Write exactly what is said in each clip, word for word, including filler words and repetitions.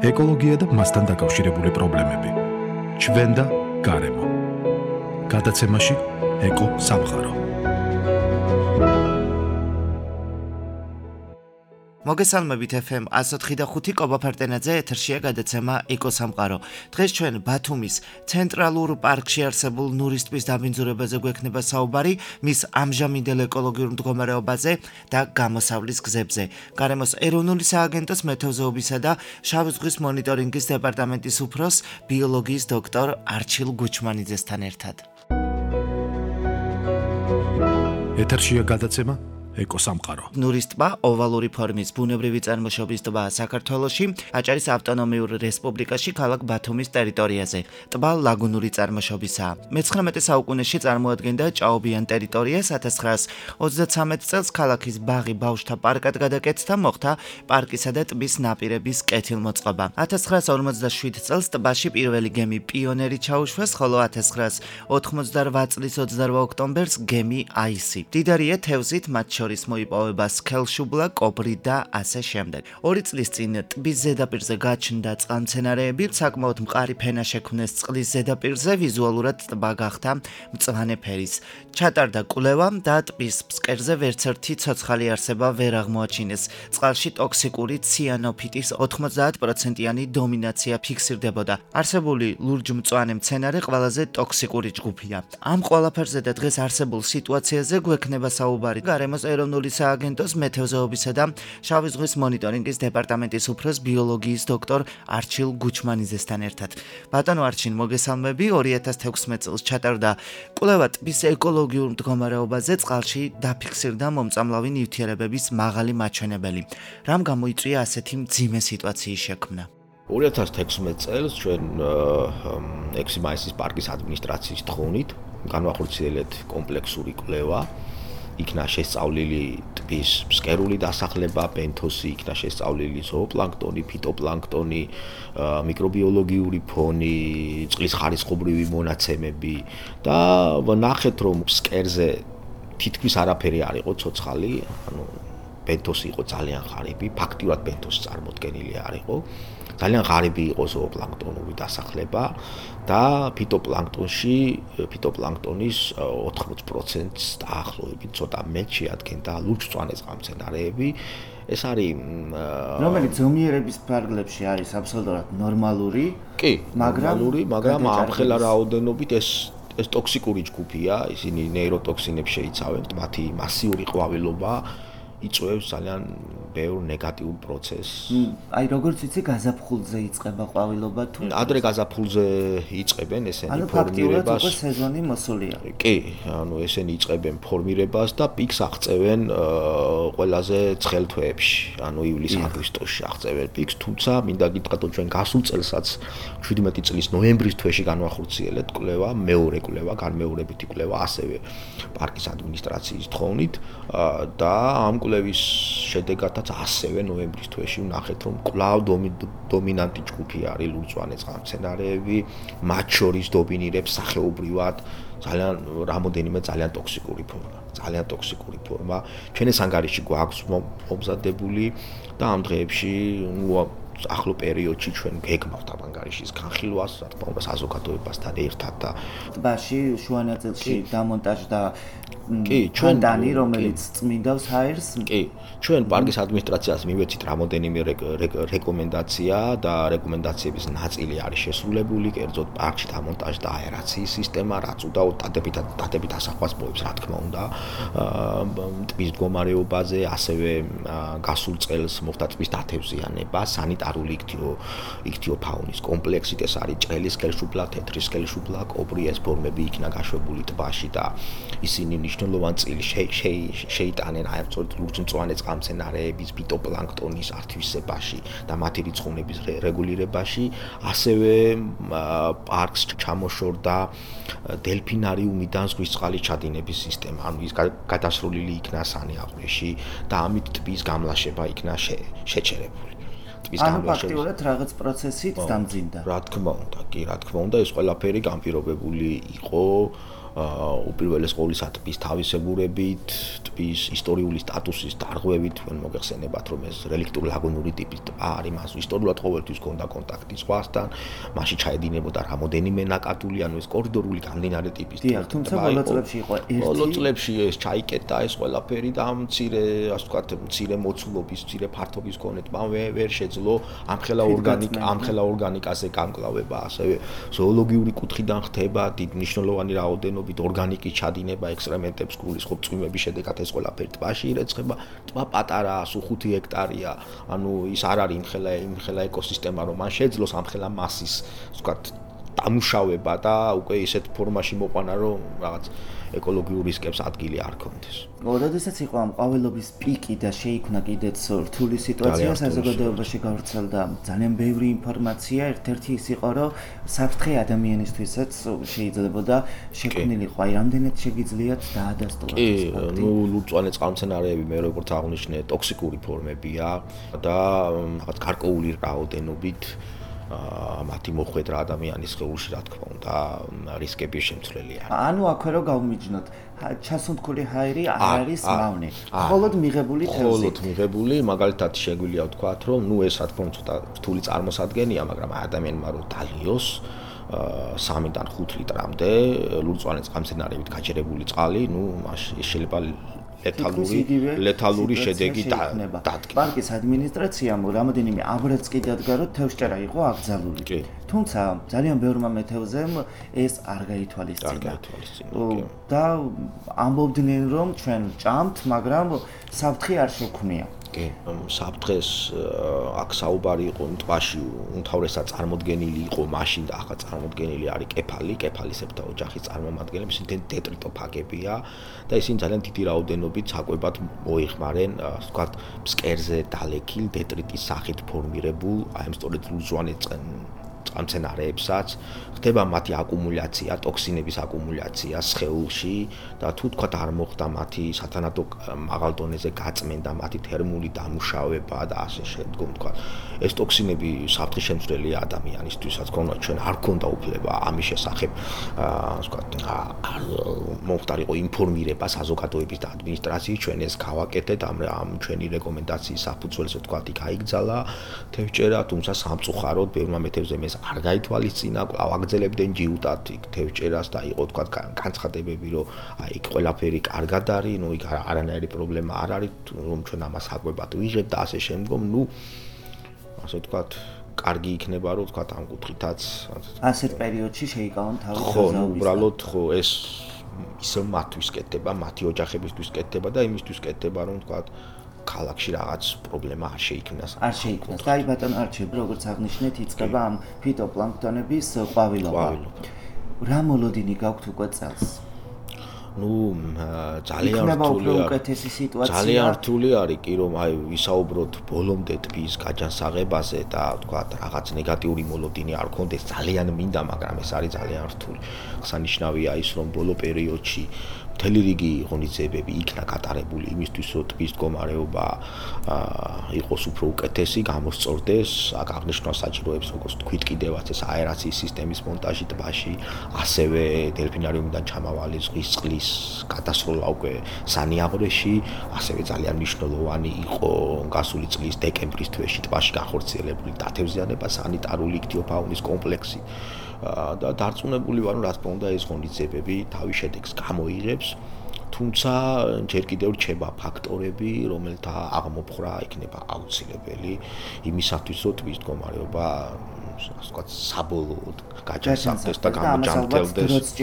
ეკოლოგია და მასთან დაკავშირებული პრობლემები. ჩვენ და გარემო. გადაცემაში ეკო სამყარო. მოგესალმებით ეფ ემ one oh five point five კობა ფარტენაძე, ეთერშია გადაცემა ეკო სამყარო. დღეს ჩვენ ბათუმის ცენტრალურ პარკში არსებულ ნურის ტბის დაბინძურებაზე გვექნება საუბარი, მის ამჟამინდელ ეკოლოგიურ მდგომარეობაზე და გამოსავლის გზებზე. გარემოს ეროვნული სააგენტოს მეთევზეობისა და შავი ზღვის მონიტორინგის დეპარტამენტის უფროს, ბიოლოგიის დოქტორ არჩილ გუჩმანიძესთან ერთად. ეთერშია გადაცემა ეკო სამყარო. ნურის ტბა ოვალური ფორმის ბუნებრივი წარმოშობის ტბა საქართველოში, აჭარის ავტონომიურ რესპუბლიკაში, ქალაქ ბათუმის ტერიტორიაზე. ტბა ლაგუნური წარმოშობისაა. მეცხრამეტე საუკუნეში წარმოადგენდა ჭაობიან ტერიტორიას, one thousand nine hundred twenty-three წელს ქალაქის ბაღი ბავშვთა პარკად გადაკეთდა, მოხდა პარკისა და ტბის ნაპირების კეთილმოწყობა. one thousand nine hundred forty-seven წელს ტბაში პირველი გემი პიონერი ჩაუშვეს, ხოლო one thousand nine hundred ninety-eight წლის twenty-eight ოქტომბერს გემი აისი. დიდარია თევზით, მათ შორის მოიპოვება სქელშუბლა, კობრი და ასე შემდეგ. ორი წლის წინ ტბის ზედაპირზე გაჩნდა წყალმცენარეები, საკმაოდ მყარი ფენა შექმნეს წყლის ზედაპირზე, ვიზუალურად ტბა გახდა მწვანე ფერის. ჩატარდა კვლევა და ტბის ფსკერზე ვერცერთი ცოცხალი არსება ვერ აღმოაჩინეს. წყალში ტოქსიკური ციანოფიტის ninety პროცენტიანი დომინაცია ფიქსირდებოდა. არსებული ლურჯ-მწვანე მცენარე ყველაზე ტოქსიკური ჯგუფია. ამ ყველაფერზე და დღეს არსებულ სიტუაციაზე გვექნება საუბარი გარემოს ეროვნული სააგენტოს მეთევზეობისა და შავი ზღვის მონიტორინგის დეპარტამენტის უფროს, ბიოლოგიის დოქტორ არჩილ გუჩმანიძესთან ერთად. ბატონო არჩილ, მოგესალმები. two thousand sixteen წელს ჩატარდა კვლევა ტბის ეკოლოგიურ მდგომარეობაზე, წყალში დაფიქსირდა მომწამლავი ნივთიერებების მაღალი მაჩვენებელი. რამ გამოიწვია ასეთი მძიმე სიტუაციის შექმნა? two thousand sixteen წელს ჩვენ ექვსი მაისის პარკის ადმინისტრაციის თხოვნით განვახორციელეთ კომპლექსური კვლევა. იქნა შესწავლილი ტბის ფსკერული დასახლება, ბენთოსი, იქნა შესწავლილი ზოოპლანქტონი, ფიტოპლანქტონი, მიკრობიოლოგიური ფონი, წყლის ხარისხობრივი მონაცემები და ვნახეთ, რომ ფსკერზე თითქმის არაფერი არ იყო ცოცხალი, ანუ ბენთოსი იყო ძალიან ღარიბი, ფაქტიურად ბენთოსი წარმოდგენილი არ იყო. ძალიან ღარიბი იყო ზოოპლანქტონური დასახლება და ფიტოპლანქტონში ფიტოპლანქტონის ninety პროცენტს დაახლოებით ცოტა მეტ შეადგენდა ლურჯ-მწვანე წყალმცენარეები. ეს არის რომელიც ზომიერების ფარგლებში არის აბსოლუტურად ნორმალური, კი, ნორმალური, მაგრამ ამხელა რაოდენობით ეს ეს ტოქსიკური ჯგუფია, ისინი ნეიროტოქსინებს შეიცავენ, მათი მასიური ყვავილობა იწვევს ძალიან ბევრ ნეგატიურ პროცესს. აი როგორც იცი, გაზაფხულზე იწყება ყვავილობა თუ ადრე გაზაფხულზე იწყებენ ესენი ანუ ფორმირებას. ანუ სეზონი მოსულია. კი, ანუ ესენი იწყებენ ფორმირებას და პიკს აღწევენ ყველაზე ცხელ თვეებში, ანუ ივლის-აგვისტოში აღწევენ პიკს, თუმცა მინდა გითხრათ, რომ ჩვენ გასულ წელსაც seventeen წლის ნოემბრის თვეში განვახორციელეთ კვლევა, მეორე კვლევა, განმეორებითი კვლევა, ასევე პარკის ადმინისტრაციის თხოვნით და ამ კვლევის შედეგადაც ასევე ნოემბრის თვეში ვნახეთ, რომ კვლავ დომინანტი ჯგუფი არის ლურჯ-მწვანე წყალმცენარეები, მათ შორის დომინირებს სახეობრივად ძალიან რამოდენიმე ძალიან ტოქსიკური ფორმა, ძალიან ტოქსიკური ფორმა. ჩვენ ეს ანგარიში გვაქვს მომზადებული და ამ დღეებში ახლო პერიოდში ჩვენ გეგმავთ ამ ანგარიშის განხილვას, რა თქმა უნდა, საზოგადოებასთან ერთად და ტბაში შუა ნაწილში დამონტაჟდა კი, ჩვენ დანი, რომელიც წმინდავს ჰაერს. კი, ჩვენ პარკის ადმინისტრაციას მივეცით რამოდენიმე რეკომენდაცია და რეკომენდაციების ნაწილი არის შესრულებული, კერძოდ პარკში დამონტაჟდა აერაციის სისტემა, რაც უდაოდ დადებით ასახვას მოებს, რა თქმა უნდა, ტბის მდგომარეობაზე, ასევე გასულ წელს მოხდა ტბის დათევზიანება, სანიტარული იქთიოფაუნის კომპლექსით, ეს არის ჭრელი სქელშუბლა, თეთრი სქელშუბლა, კობრი, ეს ფორმები იქნა გაშვებული ტბაში და ისინი მნიშვნელოვან წილს შეიტანენ აი სწორედ ლურჯ-მწვანე წყალმცენარეების, ფიტოპლანქტონის ართვისებაში და მათი რიცხოვნების რეგულირებაში, ასევე პარკს ჩამოშორდა დელფინარიუმიდან ზღვის წყალის ჩადინების სისტემა, ანუ ის გადასრულილი იქნა სანიაღვრეში და ამით ტბის გამლაშება იქნა შეჩერებული. ანუ ფაქტიურად რაღაც პროცესით დამძიმდა. რა თქმა უნდა, კი, რა თქმა უნდა, ეს ყველაფერი განპირობებული იყო უპირველეს ყოვლისა ტბის თავისებურებით, ტბის ისტორიული სტატუსის დარღვევით, თქვენ მოგეხსენებათ, რომ ეს რელიქტური ლაგუნური ტიპის ტბა არის, მას ისტორიულად ყოველთვის ჰქონდა კონტაქტი ზღვასთან, მასში ჩაედინებოდა რამოდენიმე ნაკადული, ანუ ეს კორიდორული გამდინარე ტიპის ტბა. თუმცა ბოლო წლებში იყო ერთი. ბოლო წლებში ეს ჩაიკეტა ეს ყველაფერი და მცირე, ასე ვთქვათ, მცირე მოცულობის, მცირე ფართობის მქონე ტბა ვერ შეძლო ამხელა ორგანიკა, ამხელა ორგანიკაზე გამკლავება, ასევე ზოოლოგიური კუთხიდან ხდება დიდ მნიშვნელოვანი რაოდენობით ორგანიკის ჩადინება ექსტრემენტებს გულის ხო წვიმების შედეგად ეს ყველაფერი ტბაში ირეცხება. ტბა პატარაა, სულ ხუთი ჰექტარია, ანუ ის არ არის იმხელა იმხელა ეკოსისტემა, რომ მან შეძლოს ამხელა მასის, ასე ვთქვათ, დამუშავება და უკვე ისეთ ფორმაში მოყვანა, რომ რაღაც ეკოლოგიურ რისკებს ადგილი არ ქონდეს. როდესაც იყო ამ ყვავილობის პიკი და შეიქმნა კიდეც რთული სიტუაცია საზოგადოებაში გავრცელდა ძალიან ბევრი ინფორმაცია, ერთ-ერთი ის იყო, რომ საფრთხე ადამიანისთვისაც შეიძლებოდა შექმნილიყო, აი რამდენად შეგიძლიათ დაადასტუროთ ეს ფაქტი? ნუ ლურწვანე წყალმცენარეები მე როგორც აღნიშნე, ტოქსიკური ფორმებია და რაღაც გარკვეული რაოდენობით მათი მოხვედრა ადამიანის სხეულში რა თქმა უნდა რისკების შემცვლელი არის. ანუ აქვე რო გავმიჯნოთ, ჩასუნთქული ჰაერი არ არის მავნე. მხოლოდ მიღებული თევზი. მხოლოდ მიღებული, მაგალითად შეგვიძლია ვთქვათ, რომ ნუ ეს რა თქმა უნდა ცოტა რთული წარმოსადგენია, მაგრამ ადამიანმა რო დალიოს სამიდან ხუთ litrამდე ლურწვანე წყალმცენარეებით გაჯერებული წყალი, ნუ მაშინ შეიძლება ლეთალური ლეთალური შედეგი დადგა. პარკის ადმინისტრაციამ რამოდენიმე აბრაც კი დადგა, რომ თევზჭერა იყო აკრძალული. თუმცა ძალიან ბევრმა მეთევზემ ეს არ გაითვალისწინა. და ამბობდნენ, რომ ჩვენ ჭამთ, მაგრამ საფრთხე არ შექმნია. კი, საფრთხეს აქ საუბარი იყო ტბაში უმთავრესად წარმოდგენილი იყო მაშინ და ახლა წარმოდგენილი არის კეფალი, კეფალისებრთა ოჯახის წარმომადგენლები, ისინი დეტრიტოფაგებია და ისინი ძალიან დიდი რაოდენობით საკვებად მოიხმარენ, ასე ვთქვათ, ფსკერზე დალექილ დეტრიტის სახით ფორმირებულ, აი ამ სწორედ ლურჯვანე წყალმცენარეებსაც ხდება მათი აკუმულაცია, ტოქსინების აკუმულაცია სხეულში და თუ თქვა არ მოხდა მათი სათანადო მაღალ დონეზე გაწმენდა, მათი თერმული დამუშავება და ასე შემდგომ თქვა. ეს ტოქსინები საფრთხის შემცვლელია ადამიანისთვისაც, თქონდა ჩვენ არ ქონდა უფლება ამის შესახებ, ასე ვთქვათ, არ მომხდარიყო ინფორმირება საზოგადოების და ადმინისტრაციის, ჩვენ ეს გავაკეთეთ, ამ ამ ჩვენი რეკომენდაციის საფუძველზე ვთქვათ, იქ აიგზალა თევზჭერა, თუმცა სამწუხაროდ ბევრმა მეთევზემ ეს არ გაითვალისწინა, კვლავ აგრძელებდნენ ჯიუტად იქ თევზჭერას და იყო თქვა განცხადებები, რომ აი იქ ყველაფერი კარგად არის, ნუ იქ არანაირი პრობლემა არ არის, რომ ჩვენ ამას საკვებად ვიღებთ და ასე შემდგომ, ნუ ასე ვთქვათ, კარგი იქნება, რომ ვთქვათ ამ კუთხითაც ასეთ პერიოდში შეიკავონ თავის ხო, ნუ უბრალოდ ხო ეს ისევ მათთვის კეთდება, მათი ოჯახებისთვის კეთდება და იმისთვის კეთდება, რომ ვთქვათ ქალაქში რაღაც პრობლემა არ შეიქმნას. არ შეიქმნას. და აი ბატონ არჩილ, როგორც აღნიშნეთ, იწყება ამ ფიტოპლანქტონების ყვავილობა. რა მოლოდინი გაქვთ უკვე წელს? ნუ ძალიან რთული არის. ძალიან რთული არის კი რომ აი ვისაუბროთ ბოლომდე ტბის გაჯანსაღებაზე და ვთქვათ რაღაც ნეგატიური მოლოდინი არ ქონდეს ძალიან მინდა, მაგრამ ეს არის ძალიან რთული. აღსანიშნავია ის რომ ბოლო პერიოდში მთელი რიგი ღონისძიებები იქნა გატარებული იმისთვის, რომ ტბის მდგომარეობა იყოს უფრო უკეთესი, გამოსწორდეს, აქ აღნიშნვა საჭიროებს, როგორც თქვით კიდევაც ეს აერაციის სისტემის მონტაჟი ტბაში, ასევე დელფინარიუმიდან ჩამავალი ზღვის წყლის გადასროლა უკვე სანიაღვრეში, ასევე ძალიან მნიშვნელოვანი იყო გასული წლის დეკემბრის თვეში ტბაში განხორციელებული დათევზიანება, სანიტარული იქთიოფაუნის კომპლექსი. და დარწმუნებული ვარ, რომ რა თქმა უნდა ეს ღონისძიებები თავის შედეგს გამოიღებს, თუმცა ჯერ კიდევ რჩება ფაქტორები, რომელთა აღმოფხვრა იქნება აუცილებელი იმისათვის, რომ ტბის მდგომარეობა ასე ვთქვათ, საბოლოოდ გაჯანსაღდეს და გამოჯანმრთელდეს.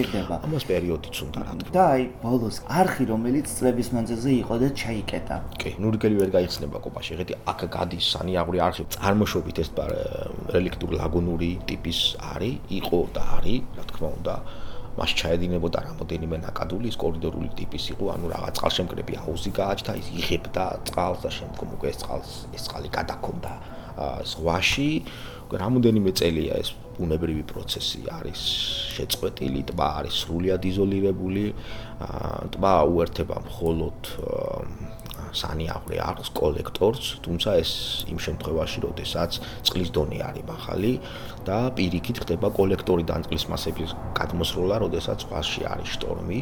ამას პერიოდიც უნდა რა თქმა უნდა. და აი ბოლოს არხი, რომელიც წლების მანძილზე იყო და ჩაიკეტა. კი, ნურგელი ვერ გაიხსნება კოპაში, ეხეთი აქ გადის სანიაღვრე არხი. წარმოშობით ეს რელიქტური ლაგუნური ტიპის არის, იყო და არის, რა თქმა უნდა. მას ჩაედინებოდა რამოდენიმე ნაკადული, ის კორიდორული ტიპის იყო, ანუ რაღაც წყალშემკრები აუზი გააჩნდა, ის იღებდა წყალს და შემდგომ უკვე ეს წყალს ეს წყალი გადაქონდა ზღვაში. რამოდენიმე წელია ეს ბუნებრივი პროცესი არის შეწყვეტილი, ტბა არის სრულიად იზოლირებული, ტბა უერთება მხოლოდ სანიაღვრე აქვს კოლექტორს, თუმცა ეს იმ შემთხვევაში, როდესაც წყლის დონე არის მაღალი და პირიქით ხდება კოლექტორიდან წყლის მასების გადმოსროლა, როდესაც ზღვაში არის შტორმი,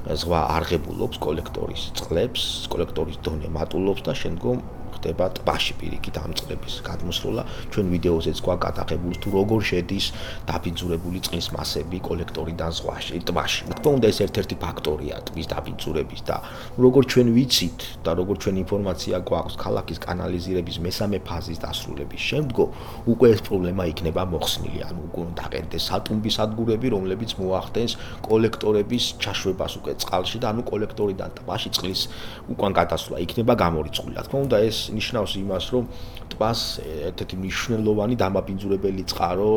ზღვა არღებულობს კოლექტორის წყლებს, კოლექტორის დონე მატულობს და შემდგომ ხდება ტბაში პირიქით ამ წყლების გადმოსროლა. ჩვენ ვიდეოზეც გვაქვს გადაღებული თუ როგორ შედის დაბინძურებული წყლის მასები კოლექტორიდან ზღვაში, ტბაში. თქო უნდა ეს ერთ-ერთი ფაქტორია ტბის დაბინძურების და როგორ ჩვენ ვიცით და როგორ ჩვენ ინფორმაცია გვაქვს ქალაქის კანალიზირების მესამე ფაზის დასრულების შემდგომ უკვე ეს პრობლემა იქნება მოხსნილი. ანუ უკვე დაყენდეს სატუმბი სადგურები, რომლებიც მოახდენს კოლექტორების ჩაშვებას უკვე წყალში და ანუ კოლექტორიდან ტბაში წყლის უკან გადასვლა იქნება გამორიცხული. თქო უნდა ეს ნიშნავს იმას, რომ ტბას ერთ-ერთი მნიშვნელოვანი დამაბინძურებელი წყარო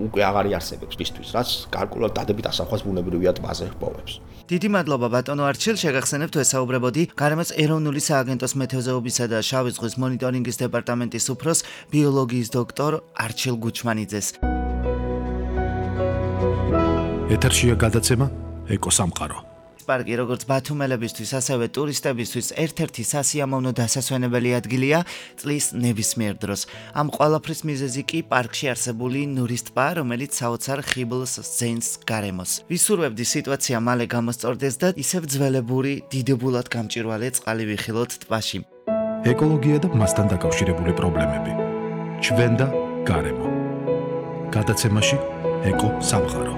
უკვე აღარ იარსებებს ტბისთვის, რაც გარკვეულად დადებით ასახავს ბუნებრივია ტბაზე ჰპოვებს. დიდი მადლობა ბატონო არჩილ, შეგახსენებთ ვესაუბრებოდი გარემოს ეროვნული სააგენტოს მეთევზეობისა და შავი ზღვის მონიტორინგის დეპარტამენტის უფროს ბიოლოგიის დოქტორ არჩილ გუჩმანიძეს. ეთერშია გადაცემა ეკოსამყარო. პარკი როგორც ბათუმელებისთვის, ასევე ტურისტებისთვის ერთ-ერთი სასიამოვნო დასასვენებელი ადგილია წლის ნებისმიერ დროს. ამ ყველაფრის მიზეზი კი პარკში არსებული ნურის ტბა, რომელიც საოცარ ხიბლს ზენს გარემოს. ვისურვებდი სიტუაცია მალე გამოსწორდეს და ისევ ძველებური, დიდებულად გამჭვირვალე წყალი ვიხილოთ ტბაში. ეკოლოგია და მასთან დაკავშირებული პრობლემები. ჩვენ და გარემო. გადაცემაში ეკო სამყარო.